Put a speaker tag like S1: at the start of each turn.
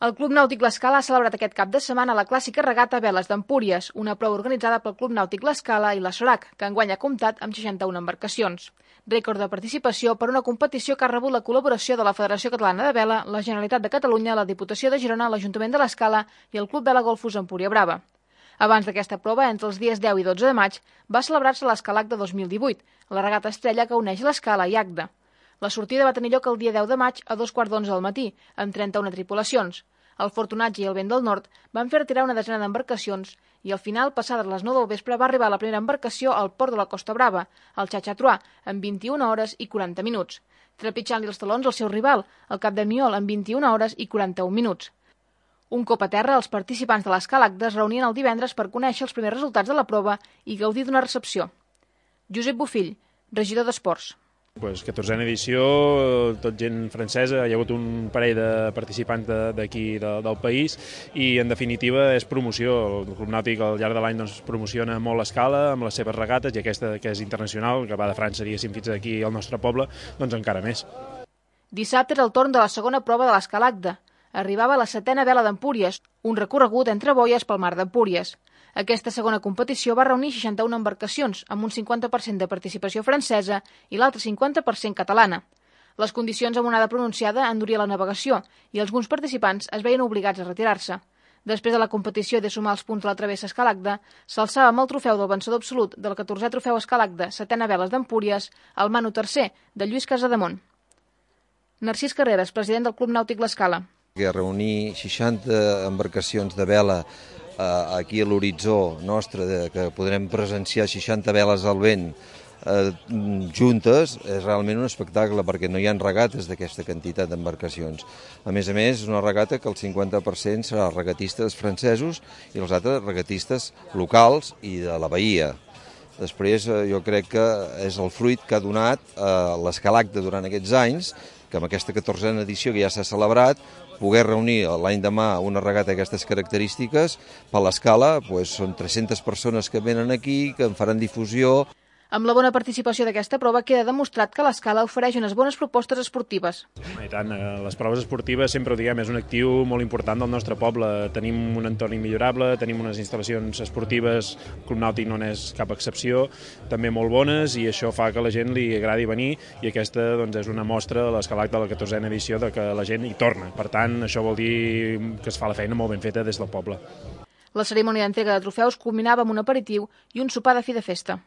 S1: El Club Nàutic L'Escala ha celebrat aquest cap de setmana la clàssica regata Veles d'Empúries, una prova organitzada pel Club Nàutic L'Escala i la SORAC, que enguany ha comptat amb 61 embarcacions. Rècord de participació per una competició que ha rebut la col·laboració de la Federació Catalana de Vela, la Generalitat de Catalunya, la Diputació de Girona, l'Ajuntament de l'Escala i el Club Vela Golfos Empúria Brava. Abans d'aquesta prova, entre els dies 10 i 12 de maig, va celebrar-se l'Escalac de 2018, la regata estrella que uneix l'Escala i Agde. La sortida va tenir lloc el dia 10 de maig a 2:15 del matí, amb 31 tripulacions. El fortunatge i el vent del nord van fer retirar una desena d'embarcacions i al final, passades les 9 del vespre, va arribar la primera embarcació al port de la Costa Brava, el Xatxatruà, en 21 hores i 40 minuts, trepitjant-li els talons al seu rival, el Cap de Miol, en 21 hores i 41 minuts. Un cop a terra, els participants de l'Escalac es reunien el divendres per conèixer els primers resultats de la prova i gaudir d'una recepció. Josep Bofill, regidor d'Esports.
S2: 14a edició, tot gent francesa, hi ha hagut un parell de participants d'aquí del país i en definitiva és promoció. El Club Nàutic al llarg de l'any promociona molt l'Escala amb les seves regates i aquesta que és internacional, que va de França diguéssim fins aquí al nostre poble, doncs encara més.
S1: Dissabte era el torn de la segona prova de l'Escala Agde. Arribava la 7a vela d'Empúries, un recorregut entre boies pel mar d'Empúries. Aquesta segona competició va reunir 61 embarcacions, amb un 50% de participació francesa i l'altre 50% catalana. Les condicions amb onada pronunciada enduria la navegació i alguns participants es veien obligats a retirar-se. Després de la competició de sumar els punts de la travessa Escalagde, s'alçava amb el trofeu del vencedor absolut del 14è trofeu Escalagde, 7a veles d'Empúries, el Manu III, de Lluís Casademont. Narcís Carreras, president del Club Nàutic L'Escala.
S3: Reunir 60 embarcacions de vela aquí a l'horitzó nostre, que podrem presenciar 60 veles al vent juntes, és realment un espectacle, perquè no hi ha regates d'aquesta quantitat d'embarcacions. A més, és una regata que el 50% serà regatistes francesos i els altres regatistes locals i de la bahia. Després, jo crec que és el fruit que ha donat l'Escalacde durant aquests anys, que amb aquesta 14a edició que ja s'ha celebrat, poder reunir l'any demà una regata d'aquestes característiques per l'Escala, són 300 persones que venen aquí, que en faran difusió.
S1: Amb la bona participació d'aquesta prova queda demostrat que l'Escala ofereix unes bones propostes esportives.
S2: I tant, les proves esportives sempre ho diguem, és un actiu molt important del nostre poble. Tenim un entorn immillorable, tenim unes instal·lacions esportives, el Club Nàutic no n'és cap excepció, també molt bones, i això fa que a la gent li agradi venir, i aquesta és una mostra de l'Escalac de la 14a edició de que la gent hi torna. Per tant, això vol dir que es fa la feina molt ben feta des del poble.
S1: La cerimònia d'entrega de trofeus culminava amb un aperitiu i un sopar de fi de festa.